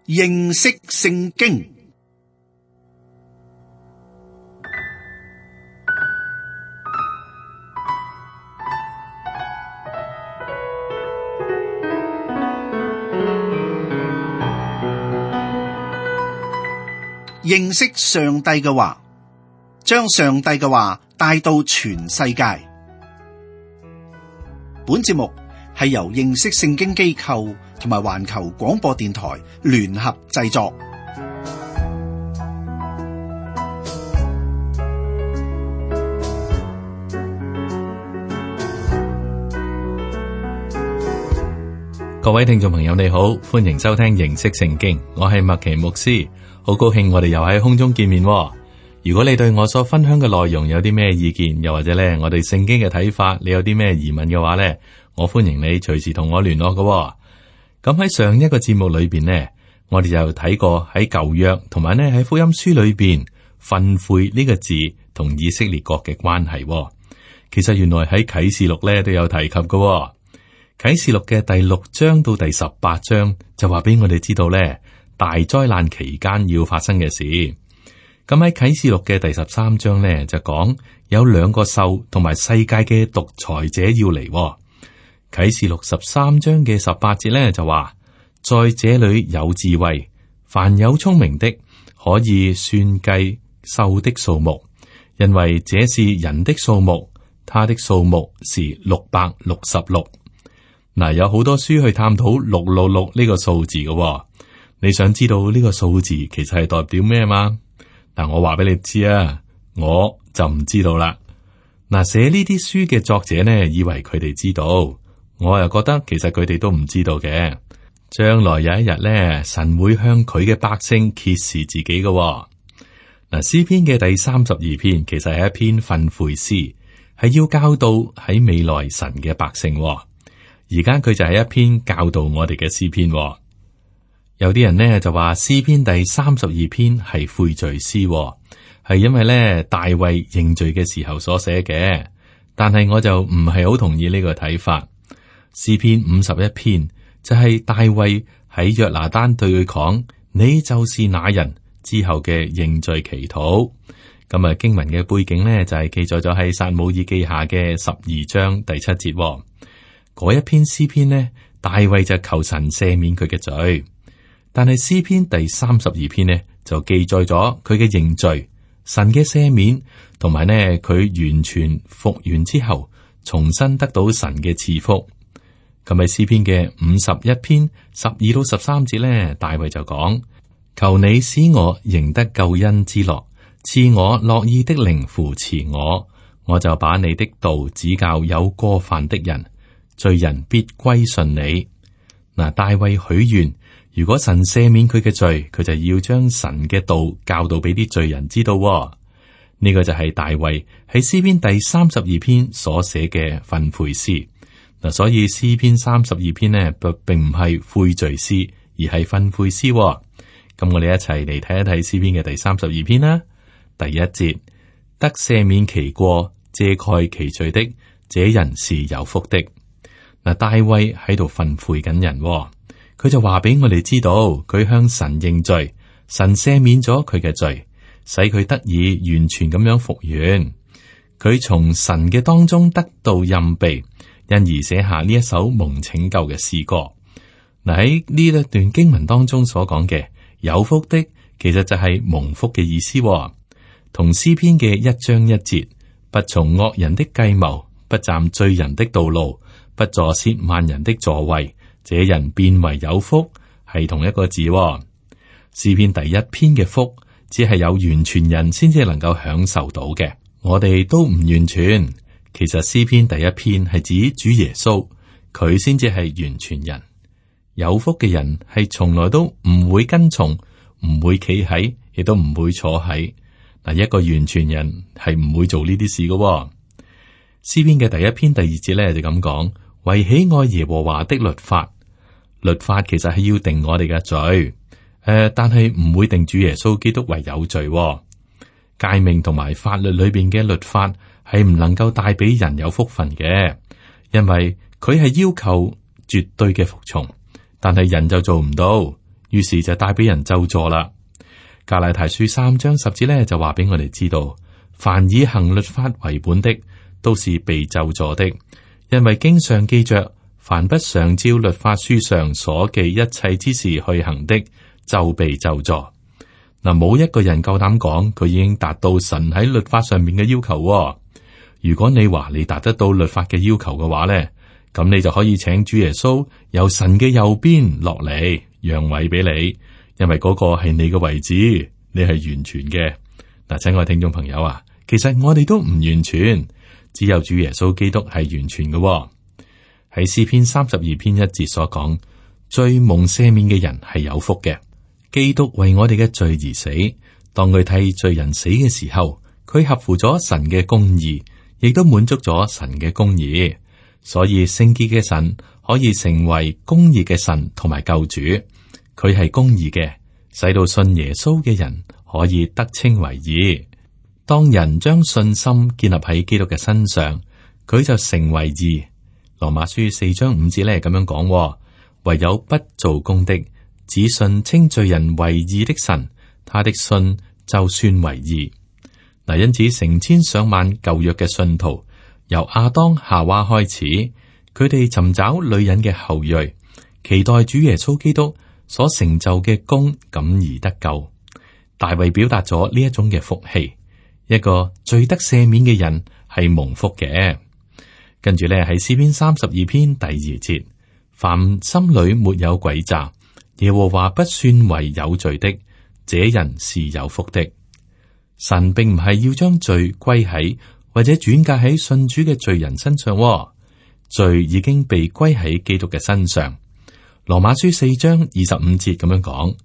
認識聖經。認識上帝嘅話，將上帝嘅話帶到全世界。本節目係由認識聖經機構同埋環球廣播電台聯合製作。各位聽眾朋友你好，歡迎收聽認識聖經，我係麥奇牧師，好高興我哋又喺空中見面。如果你對我所分享嘅內容有啲咩意見，又或者咧我哋聖經嘅睇法，你有啲咩疑問嘅話咧，我歡迎你隨時同我聯絡嘅。咁喺上一個節目裏邊呢，我哋就睇過喺舊約同埋呢喺福音書裏邊訓誨呢個字同以色列國嘅關係。其實原來喺啟示錄咧都有提及嘅。啟示錄嘅第6章到第18章就話俾我哋知道咧，大災難期間要發生嘅事。咁喺啟示錄嘅第13章咧就講有2個獸同埋世界嘅獨裁者要嚟。啟示錄13章嘅18節咧就話，在這裏有智慧，凡有聰明的可以算計獸的數目，因為這是人的數目，他的數目是666。嗱，有好多書去探討666呢個數字嘅。你想知道呢個數字其實係代表咩嘛？但我話俾你知啊，我就唔知道啦。嗱，寫呢啲書嘅作者呢，以為佢哋知道，我又覺得其實佢哋都唔知道嘅。將來有一日呢，神會向佢嘅百姓揭示自己嘅。嗱，詩篇嘅第32篇其實係一篇訓誨詩，係要教導喺未來神嘅百姓。而家佢就係一篇教導我哋嘅詩篇。有啲人呢就話詩篇第32篇係悔罪詩，係因為呢大衛認罪嘅時候所寫嘅。但係我就唔係好同意呢個睇法。詩篇51篇就係大衛喺約拿單對佢講，你就是那人之後嘅認罪祈禱。咁啊，經文嘅背景呢就係記載咗喺撒母耳記下嘅12章第7節。嗰一篇詩篇呢，大衛就求神赦免佢嘅罪。但係詩篇第32篇呢，就記載咗佢嘅認罪、神嘅赦免，同埋呢佢完全復原之後，重新得到神嘅賜福。咁喺詩篇嘅51篇12到13節呢，大衛就講：求你使我贏得救恩之樂，賜我樂意的靈扶持我，我就把你的道指教有過犯的人，罪人必歸順你。嗱，大衛許願，如果神赦免佢嘅罪，佢就要將神嘅道教導俾啲罪人知道。呢個就係大衛喺詩篇第32篇所寫嘅訓誨詩。嗱，所以詩篇32篇呢，並唔係悔罪詩，而係訓誨詩。咁我哋一齊嚟睇一睇詩篇嘅第32篇啦。第1節，得赦免其過、遮蓋其罪的，這人是有福的。嗱，大衛喺度訓誨緊人，佢就話俾我哋知道，佢向神認罪，神赦免咗佢嘅罪，使佢得以完全咁樣復原。佢從神嘅當中得到蔭庇，因而寫下呢一首蒙拯救嘅詩歌。嗱，喺呢一段經文當中所講嘅有福的，其實就係蒙福嘅意思，同詩篇嘅1章1節，不從惡人的計謀，不站罪人的道路，不坐褻慢人的座位，這人變為有福，係同一個字。詩篇第1篇嘅福，只係有完全人先至能夠享受到嘅，我哋都唔完全。其實詩篇第1篇係指主耶穌，佢先至係完全人。有福嘅人係從來都唔會跟從，唔會企喺，亦都唔會坐喺。嗱，一個完全人係唔會做呢啲事嘅。詩篇嘅第1篇第2節咧就咁講。為喜愛耶和華的律法，律法其實係要定我哋嘅罪，但係唔會定主耶穌基督為有罪。誡命同埋法律裏邊嘅律法係唔能夠帶俾人有福分嘅，因為佢係要求絕對嘅服從，但係人就做唔到。於是就帶俾人咒詛啦。加拉太書3章10節咧就話俾我哋知道，凡以行律法為本的，都是被咒詛的，因為經上記着，凡不常照律法書上所記一切之事去行的，就被咒詛。嗱，冇一個人夠膽講佢已經達到神喺律法上面嘅要求。如果你話你達得到律法嘅要求嘅話咧，咁你就可以請主耶穌由神嘅右邊落嚟，讓位俾你，因為嗰個係你嘅位置，你係完全嘅。嗱，親愛聽眾朋友啊，其實我哋都唔完全，只有主耶穌基督係完全嘅。喺詩篇32篇1節所講，罪蒙赦免嘅人係有福嘅。基督為我哋嘅罪而死，當佢替罪人死嘅時候，佢合乎咗神嘅公義，亦都滿足咗神嘅公義。所以聖潔嘅神可以成為公義嘅神同埋救主，佢係公義嘅，使到信耶穌嘅人可以得稱為義。當人將信心建立喺基督嘅身上，佢就成為義。羅馬書4章5節咧咁樣講，唯有不做工的，只信稱罪人為義的神，他的信就算為義。嗱，因此成千上萬舊約嘅信徒，由亞當夏娃開始，佢哋尋找女人嘅後裔，期待主耶穌基督所成就嘅功，感而得救。大衛表達咗呢一種嘅福氣，一個罪得赦免嘅人係蒙福嘅。跟住咧喺詩篇32篇第2節，凡心裏沒有詭詐，耶和華不算為有罪的，這人是有福的。神並唔係要將罪歸喺或者轉嫁喺信主嘅罪人身上，罪已經被歸喺基督嘅身上。羅馬書4章25節咁樣講，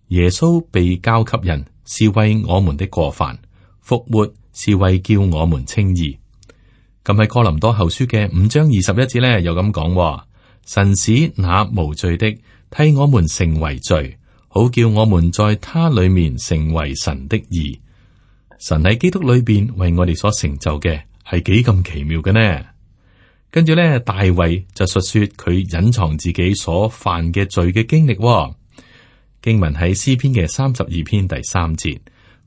耶穌被交給人，是為我們的過犯，復活是為叫我們稱義。咁喺哥林多後書嘅5章21節咧，又咁講，神使那無罪的替我們成為罪，好叫我們在他裏面成為神的義。神喺基督裏邊為我哋所成就嘅係幾咁奇妙嘅呢？跟住咧，大衛就述說佢隱藏自己所犯嘅罪嘅經歷。經文喺詩篇嘅32篇第3節，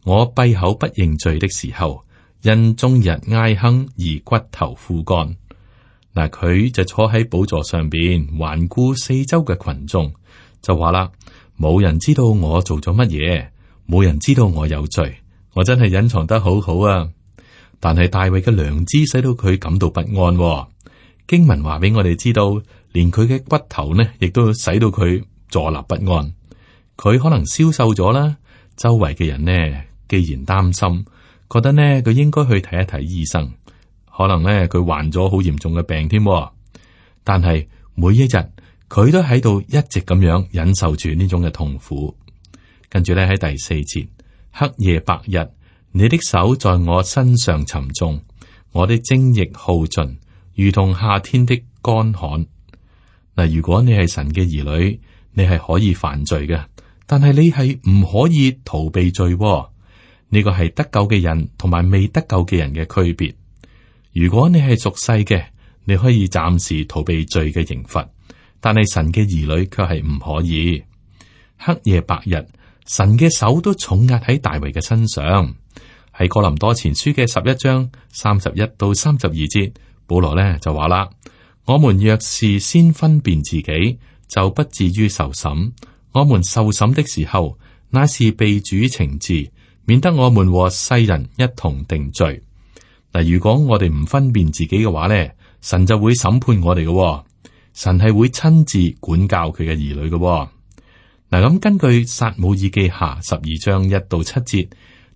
我閉口不認罪的時候，因終日哀哼而骨頭枯乾。嗱，佢就坐喺寶座上邊，環顧四周嘅群眾，就話啦：冇人知道我做咗乜嘢，冇人知道我有罪，我真係隱藏得好好啊！但係大衛嘅良知使到佢感到不安。經文話俾我哋知道，連佢嘅骨頭呢，亦都使到佢坐立不安。佢可能消瘦咗啦，周圍嘅人呢，既然擔心，覺得呢佢應該去睇一睇醫生，可能呢佢患咗好嚴重嘅病添。但係每一日佢都喺度一直咁樣忍受住呢種嘅痛苦。跟住咧喺第4節，黑夜白日，你的手在我身上沉重，我的精液耗盡，如同夏天的乾旱。嗱，如果你係神嘅兒女，你係可以犯罪嘅，但係你係唔可以逃避罪。呢個係得救嘅人同埋未得救嘅人嘅區別。如果你係屬世嘅，你可以暫時逃避罪嘅刑罰，但係神嘅兒女卻係唔可以。黑夜白日，神嘅手都重壓喺大衛嘅身上。喺哥林多前書嘅11章31到32節，保羅呢就話啦：我們若是先分辨自己，就不至於受審。我們受審的時候，乃是被主懲治，免得我們和世人一同定罪。嗱，如果我哋唔分辨自己嘅話咧，神就會審判我哋嘅。神係會親自管教佢嘅兒女嘅。嗱，咁根據撒母耳記下12章1到7節，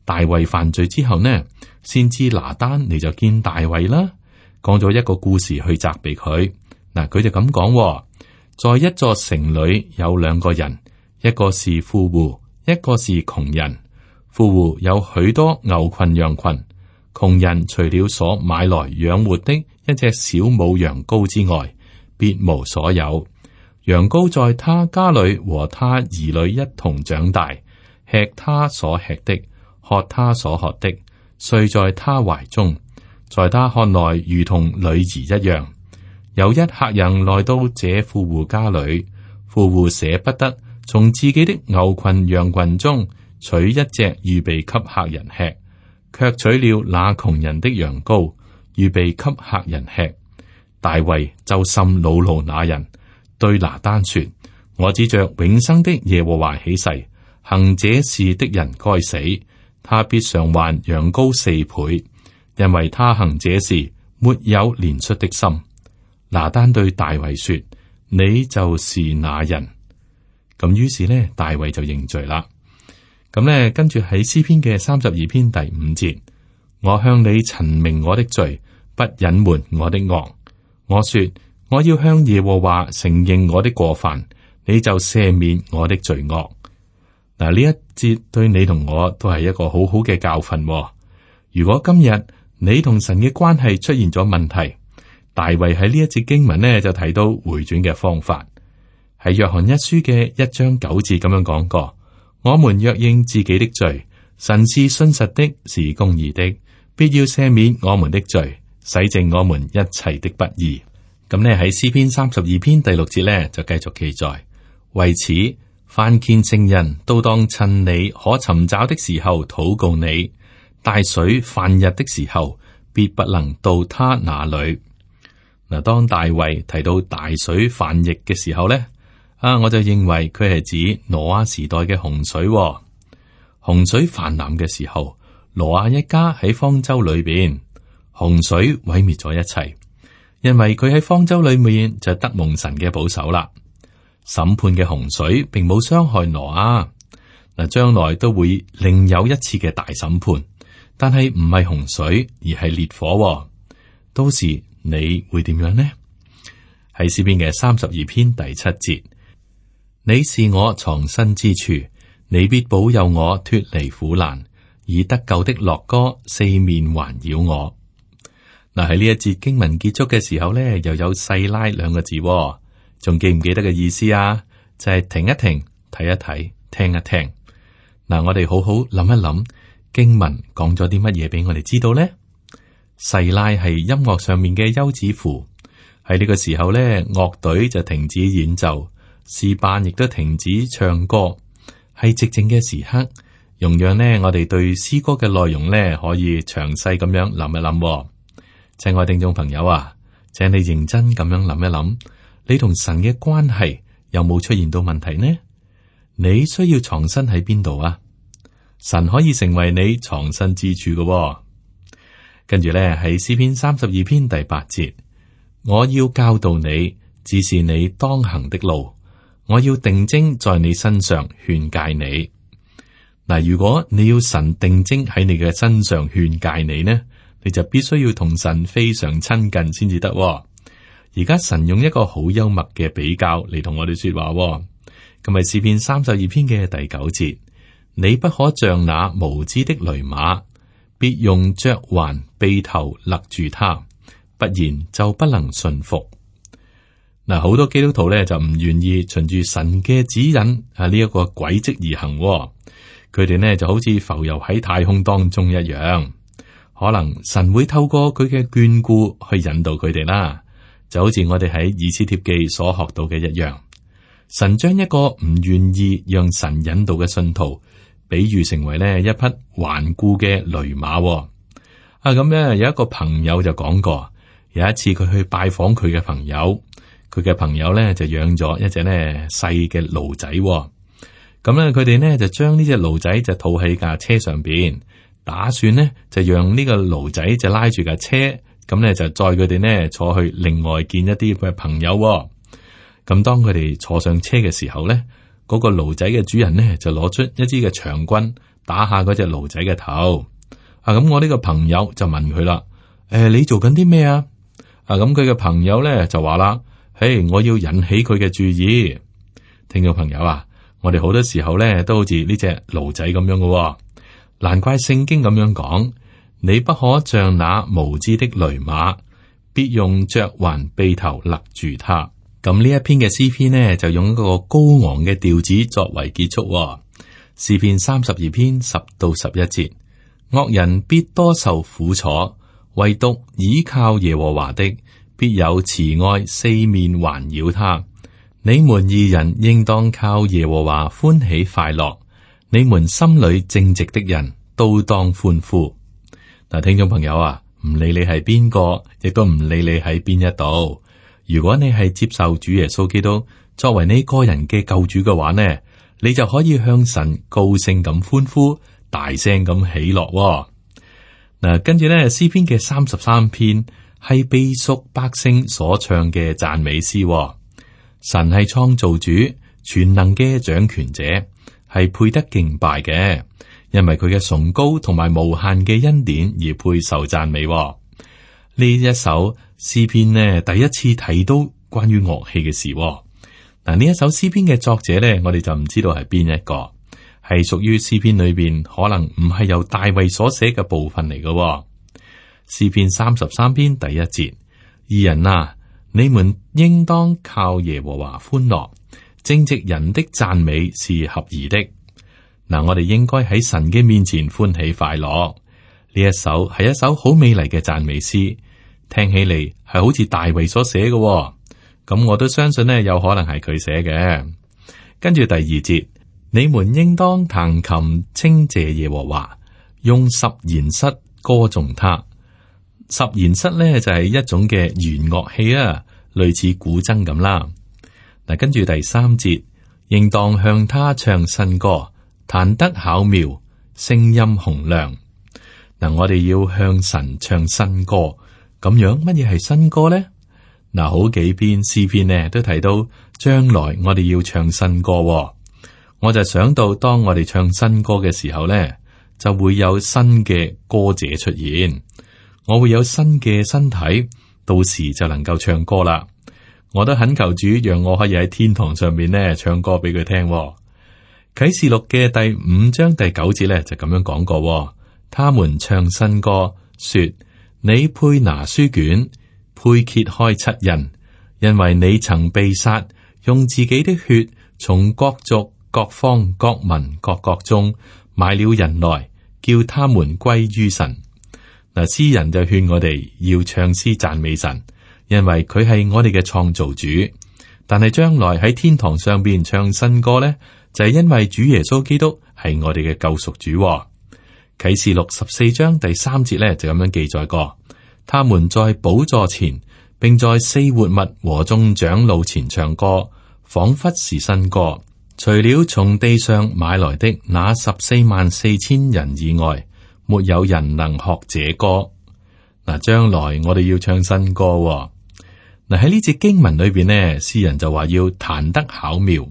大衛犯罪之後呢，先知拿單你就見大衛啦，講咗一個故事去責備佢。嗱，佢就咁講：在一座城裏有兩個人，一個是富戶，一個是窮人。富戶有許多牛群羊群，窮人除了所買來養活的一隻小母羊羔之外，別無所有。羊羔在他家裏和他兒女一同長大，吃他所吃的，喝他所喝的，睡在他懷中，在他看來如同女兒一樣。有一客人來到這富戶家裏，富戶捨不得從自己的牛群羊群中取一隻預備給客人吃，卻取了那窮人的羊羔，預備給客人吃。大衛就甚惱怒那人，對拿單說：我指着永生的耶和華起誓，行這事的人該死，他必償還羊羔4倍，因為他行這事沒有憐恤的心。拿單對大衛說：你就是那人。咁於是呢，大衛就認罪啦。咁呢，跟住喺詩篇嘅32篇第5節，我向你陳明我的罪，不隱瞞我的惡。我說我要向耶和華承認我的過犯，你就赦免我的罪惡。嗱，呢一節對你同我都係一個好好嘅教訓。如果今日你同神嘅關係出現咗問題，大衛喺呢一節經文呢就提到回轉嘅方法。喺約翰一書嘅1章9節咁樣講過：我們若認自己的罪，神是信實的，是公義的，必要赦免我們的罪，洗淨我們一切的不義。咁呢喺詩篇32篇第6節呢就繼續記載：為此，凡虔誠人都當趁你可尋找的時候禱告你，大水泛溢的時候，必不能到他那裏。嗱，當大衛提到大水泛溢嘅時候呢，我就認為佢係指挪亞時代嘅洪水。洪水泛濫嘅時候，挪亞一家喺方舟裏邊，洪水毀滅咗一切，因為佢喺方舟裏面就得蒙神嘅保守啦。審判嘅洪水並冇傷害挪亞，嗱，將來都會另有一次嘅大審判，但係唔係洪水，而係烈火。到時你會點樣呢？喺詩篇嘅32篇第7節，你是我藏身之處，你必保佑我脫離苦難，以得救的樂歌四面環繞我。嗱，喺呢一節經文結束嘅時候呢，又有細拉2個字，仲記唔記得嘅意思啊？就係停一停，睇一睇，聽一聽。嗱，我哋好好諗一諗經文講咗啲乜嘢俾我哋知道呢？細拉係音樂上面嘅休止符，喺呢個時候呢，樂隊就停止演奏，詩班亦都停止唱歌，係寂靜嘅時刻，容讓呢我哋對詩歌嘅內容呢可以詳細咁樣諗一諗。親愛聽眾朋友啊，請你認真咁樣諗一諗，你同神嘅關係有冇出現到問題呢？你需要藏身喺邊度啊？神可以成為你藏身之處嘅。跟住咧，喺詩篇32篇第8節，我要教導你，指示你當行的路，我要定睛在你身上勸誡你。嗱，如果你要神定睛喺你嘅身上勸誡你呢，你就必須要同神非常親近先至得。而家神用一個好幽默嘅比較嚟同我哋說話。咁係詩篇32篇嘅第9節，你不可像那無知的騾馬，必用嚼環轡頭勒住他，不然就不能順服。嗱，好多基督徒咧就唔願意循住神嘅指引呢一個軌跡而行。佢哋呢就好似浮游喺太空當中一樣。可能神會透過佢嘅眷顧去引導佢哋啦，就好似我哋喺以斯帖記所學到嘅一樣。神將一個唔願意讓神引導嘅信徒，比喻成為呢一匹頑固嘅騾馬。咁咧有一個朋友就講過，有一次佢去拜訪佢嘅朋友，佢嘅朋友咧就養咗一隻呢細嘅驢仔。咁咧佢哋呢就將呢隻驢仔就套喺架車上邊，打算呢就讓呢個驢仔就拉住架車，咁咧就載佢哋呢坐去另外見一啲嘅朋友。咁當佢哋坐上車嘅時候咧，嗰個驢仔嘅主人呢就攞出一支嘅長棍打下嗰隻驢仔嘅頭。咁我呢個朋友就問佢啦：你做緊啲咩啊？咁佢嘅朋友咧就話啦：我要引起佢嘅注意。聽眾朋友啊，我哋好多時候咧都好似呢隻驢仔咁樣嘅。難怪聖經咁樣講：你不可像那無知的騾馬，必用嚼環轡頭勒住他。咁呢一篇嘅詩篇呢，就用一個高昂嘅調子作為結束。詩篇32篇10到11節，惡人必多受苦楚，唯獨倚靠耶和華的，必有慈愛四面環繞他。你們義人應當靠耶和華歡喜快樂，你們心裏正直的人都當歡呼。嗱，聽眾朋友啊，唔理你係邊個，亦都唔理你喺邊一度。如果你係接受主耶穌基督作為你個人嘅救主嘅話呢，你就可以向神高聲咁歡呼，大聲咁喜樂。嗱，跟住咧，詩篇嘅33篇係被屬百姓所唱嘅讚美詩。神係創造主，全能嘅掌權者，係配得敬拜嘅，因為佢嘅崇高同埋無限嘅恩典而配受讚美。呢一首詩篇呢，第一次睇到關於樂器嘅事。嗱，呢一首詩篇嘅作者呢，我哋就唔知道係邊一個，係屬於詩篇裏邊可能唔係由大衛所寫嘅部分嚟嘅。詩篇33篇第一節：義人啊，你們應當靠耶和華歡樂，正直人的讚美是合宜的。嗱，我哋應該喺神嘅面前歡喜快樂。呢一首係一首好美麗嘅讚美詩，聽起嚟係好似大衛所寫嘅。咁我都相信呢，有可能係佢寫嘅。跟住第二節，你們應當彈琴稱謝耶和華，用十弦瑟歌頌他。十弦瑟呢就係一種嘅弦樂器啊，類似古箏咁啦。嗱，跟住第三節，應當向他唱新歌，彈得巧妙，聲音洪亮。嗱，我哋要向神唱新歌，咁樣乜嘢係新歌呢？嗱，好幾篇詩篇呢都提到將來我哋要唱新歌。我就想到當我哋唱新歌嘅時候呢，就會有新嘅歌者出現，我會有新嘅身體，到時就能夠唱歌啦。我都懇求主讓我可以喺天堂上面呢唱歌俾佢聽。啟示錄嘅第5章第9節呢就咁樣講過，他們唱新歌說：你配拿書卷，配揭開七印，因為你曾被殺，用自己的血從各族、各方、各民、各國中買了人來，叫他們歸於神。嗱，詩人就勸我哋要唱詩讚美神，因為佢係我哋嘅創造主。但係將來喺天堂上邊唱新歌呢，就係因為主耶穌基督係我哋嘅救贖主。啟示錄14章第3節呢，就咁樣記載過。他們在寶座前，並在四活物和眾長老前唱歌，仿佛是新歌。除了從地上買來的那144000人以外，沒有人能學這歌。嗱，將來我哋要唱新歌。嗱，喺呢節經文裏邊呢，詩人就話要彈得巧妙。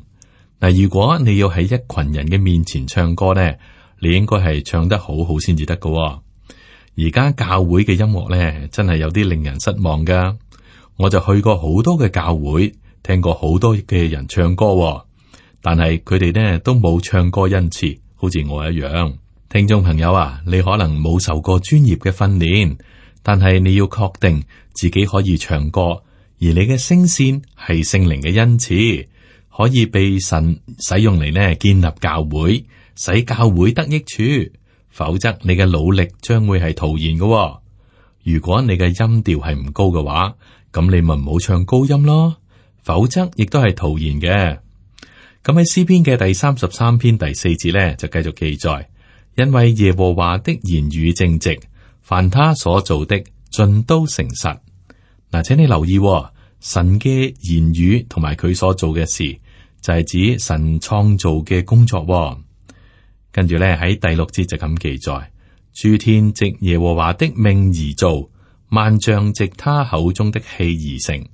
嗱，如果你要喺一群人嘅面前唱歌呢，你應該係唱得好好先至得㗎。而家教會嘅音樂咧，真係有啲令人失望噶。我就去過好多嘅教會，聽過好多嘅人唱歌，但係佢哋呢都冇唱歌恩賜，好似我一樣。聽眾朋友啊，你可能冇受過專業嘅訓練，但係你要確定自己可以唱歌，而你嘅聲線係聖靈嘅恩賜，可以被神使用嚟呢建立教會，使教會得益處。否則你嘅努力將會係徒然嘅。如果你嘅音調係唔高嘅話，咁你咪唔好唱高音咯。否則亦都係徒然嘅。咁喺詩篇嘅第33篇第4節咧，就繼續記載：因為耶和華的言語正直，凡他所做的盡都誠實。嗱，請你留意，神嘅言語同埋佢所做嘅事，就係指神創造嘅工作。跟住咧喺第6節就咁記載：諸天藉耶和華的命而造，萬象藉他口中的氣而成。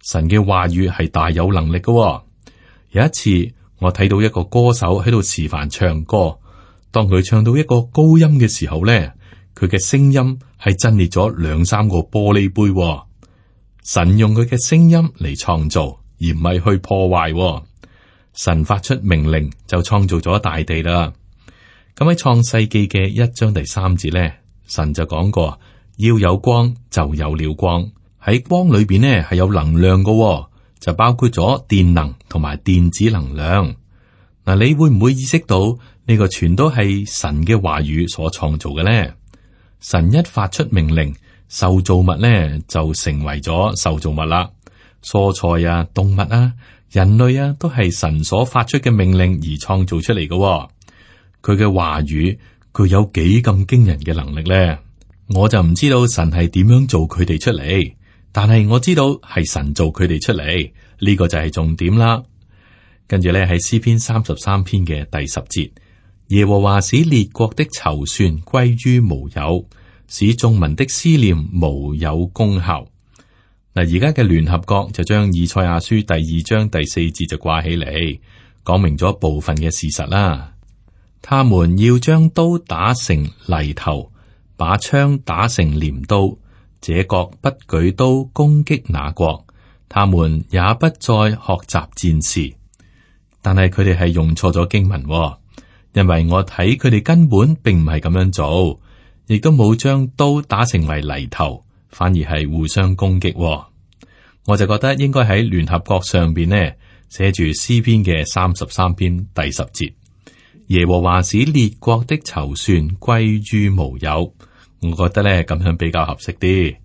神嘅話語係大有能力嘅。有一次我睇到一個歌手喺度示範唱歌，當佢唱到一個高音嘅時候咧，佢嘅聲音係震裂咗2-3個玻璃杯。神用佢嘅聲音嚟創造，而唔係去破壞。神發出命令就創造咗大地啦。咁喺創世記嘅1章第3節咧，神就講過要有光，就有了光。喺光裏邊呢係有能量嘅，就包括咗電能同埋電子能量。嗱，你會唔會意識到呢個全都係神嘅話語所創造嘅呢？神一發出命令，受造物呢就成為咗受造物啦。蔬菜啊、動物啊，人類啊都係神所發出嘅命令而創造出嚟嘅。佢嘅話語具有幾咁驚人嘅能力咧？我就唔知道神係點樣做佢哋出嚟，但係我知道係神做佢哋出嚟，呢個就係重點啦。跟住咧喺詩篇33篇嘅第10節，耶和華使列國的籌算歸於無有，使眾民的思念無有功效。嗱，而家嘅聯合國就將以賽亞書第2章第4節就掛起嚟，講明咗部分嘅事實啦。他們要將刀打成犁頭，把槍打成鐮刀，這國不舉刀攻擊那國，他們也不再學習戰事。但係佢哋係用錯咗經文，因為我睇佢哋根本並唔係咁樣做，亦都冇將刀打成為犁頭，反而係互相攻擊。我就覺得應該喺聯合國上邊呢寫住詩篇嘅33篇第10節，耶和華使列國的籌算歸於無有。我覺得咧咁樣比較合適啲。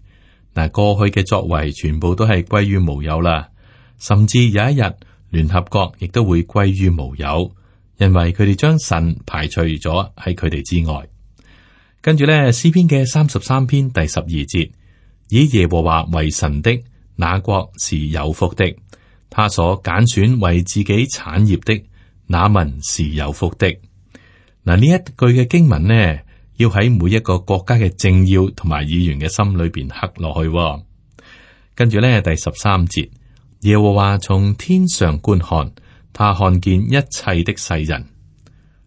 嗱，過去嘅作為全部都係歸於無有啦，甚至有一日聯合國亦都會歸於無有，因為佢哋將神排除咗喺佢哋之外。跟住咧詩篇嘅33篇第12節，以耶和華為神的那國是有福的，他所揀選為自己產業的那民是有福的。嗱，呢一句嘅經文呢，要喺每一個國家嘅政要同埋議員嘅心裏邊刻落去。跟住咧第13節，耶和華從天上觀看，他看見一切的世人。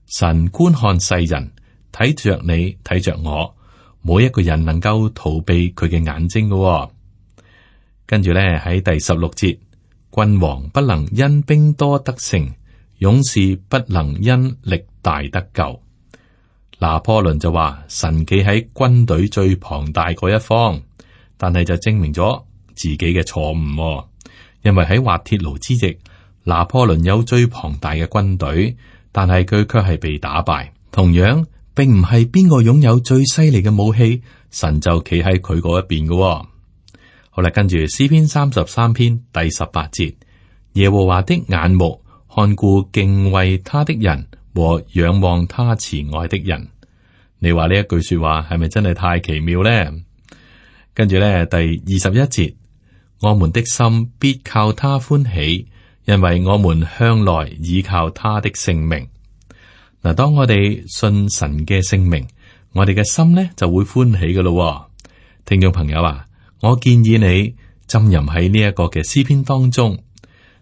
神觀看世人，睇着你，睇着我，冇一個人能夠逃避佢嘅眼睛嘅。跟住咧喺第16節，君王不能因兵多得勝，勇士不能因力大得救。拿破崙就話神企喺軍隊最龐大嗰一方，但係就證明咗自己嘅錯誤。因為喺滑鐵盧之役，拿破崙有最龐大嘅軍隊，但係佢卻係被打敗。同樣，並唔係邊個擁有最犀利嘅武器，神就企喺佢嗰一邊嘅。好啦，跟住詩篇33篇第18節，耶和華的眼目看顧敬畏他的人和仰望他慈愛的人。你話呢一句說話係咪真係太奇妙呢？跟住咧第21節，我們的心必靠他歡喜，因為我們向來倚靠他的聖名。嗱，當我哋信神嘅聖名，我哋嘅心呢就會歡喜噶咯。聽眾朋友啊，我建議你浸淫喺呢一個嘅詩篇當中。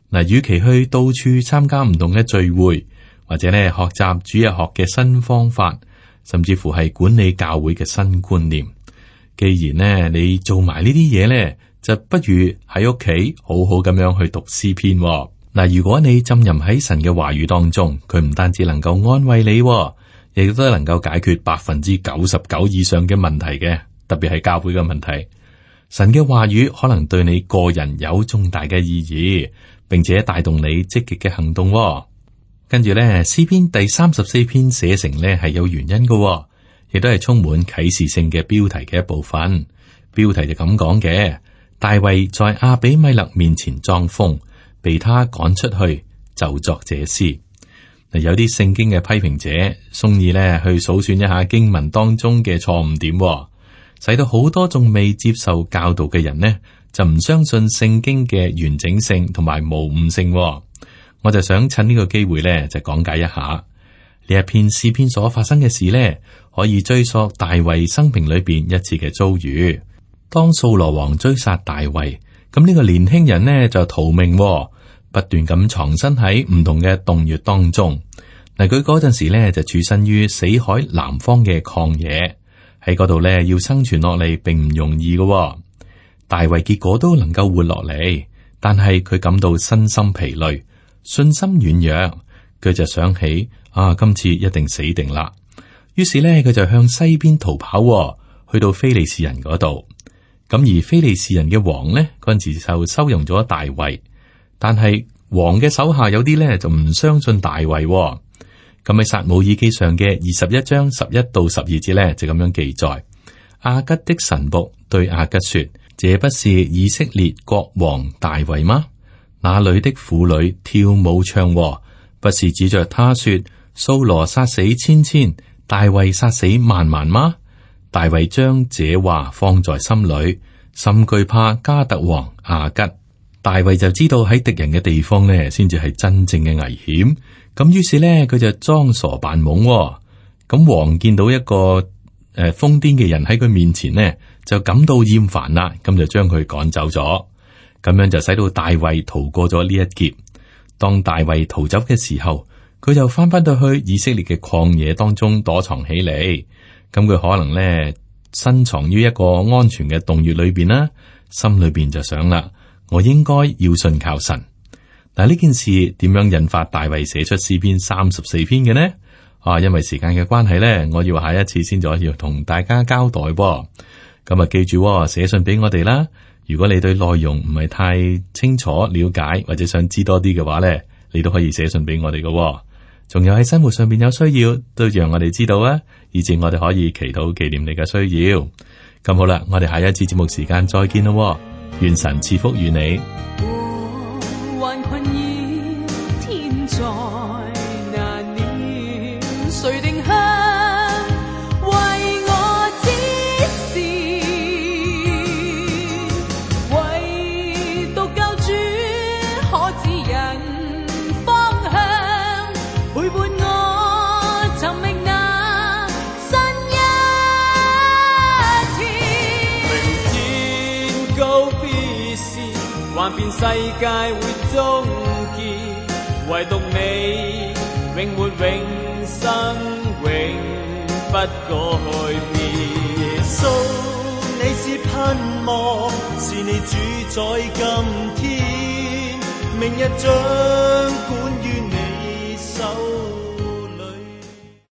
嗱，與其去到處參加唔同嘅聚會，或者咧學習主日學嘅新方法，甚至乎係管理教會嘅新觀念，既然呢你做埋呢啲嘢咧，就不如喺屋企好好咁樣去讀詩篇。嗱，如果你浸淫喺神嘅話語當中，佢唔單止能夠安慰你，亦都能夠解決99%以上嘅問題嘅，特別係教會嘅問題。神嘅話語可能對你個人有重大嘅意義，並且帶動你積極嘅行動。跟住咧，詩篇第34篇寫成咧係有原因嘅，亦都係充滿啟示性嘅標題嘅一部分。標題就咁講嘅：大衛在亞比米勒面前裝瘋，被他趕出去，就作這詩。嗱，有啲聖經嘅批評者，中意咧去數算一下經文當中嘅錯誤點，使到好多仲未接受教導嘅人呢，就唔相信聖經嘅完整性同埋無誤性。我就想趁呢個機會咧，就講解一下呢一篇詩篇所發生嘅事咧，可以追溯大衛生平裏邊一次嘅遭遇。當掃羅王追殺大衛，咁呢個年輕人呢就逃命，不斷咁藏身喺唔同嘅洞穴當中。嗱，佢嗰陣時咧就處身於死海南方嘅曠野，喺嗰度咧要生存落嚟並唔容易嘅。大衛結果都能夠活落嚟，但係佢感到身心疲累，信心軟弱，佢就想起今次一定死定啦。於是咧，佢就向西邊逃跑，去到非利士人嗰度。咁而非利士人嘅王呢，嗰陣時就收容咗大衛，但係王嘅手下有啲咧就唔相信大衛。咁喺撒母耳記上嘅21章11到12節咧就咁樣記載：亞吉的臣僕對亞吉說：這不是以色列國王大衛嗎？那裏的婦女跳舞唱和，不是指着他說掃羅殺死千千，大衛殺死萬萬嗎？大衛將這話放在心裏，甚懼怕加特王亞吉。大衛就知道喺敵人嘅地方呢，先至係真正嘅危險。咁於是呢，佢就裝傻扮懵。咁王見到一個瘋癲嘅人喺佢面前呢，就感到厭煩啦，咁就將佢趕走咗。咁樣就使到大衛逃過咗呢一劫。當大衛逃走嘅時候，佢就翻到去以色列嘅曠野當中躲藏起嚟。咁佢可能呢，深藏於一個安全嘅洞穴裏邊啦，心裏邊就想啦，我應該要信靠神。但係呢件事點樣引發大衛寫出詩篇34篇嘅呢？因為時間嘅關係呢，我要下一次先再要同大家交代。咁啊，記住寫信俾我哋啦。如果你對內容唔係太清楚了解，或者想知多啲嘅話呢，你都可以寫信俾我哋嘅。仲有喺生活上邊有需要，都讓我哋知道啊，以至我哋可以祈禱紀念你嘅需要。咁好啦，我哋下一次節目時間再見咯。願神賜福與你。還困擾天在難料，誰定向為我指示？唯獨救主可指引方向，陪伴我尋覓那新一天。明天高必是，幻變世界會終結，唯獨你永活永生，永不改變。耶穌，你是盼望，是你主宰今天，明日將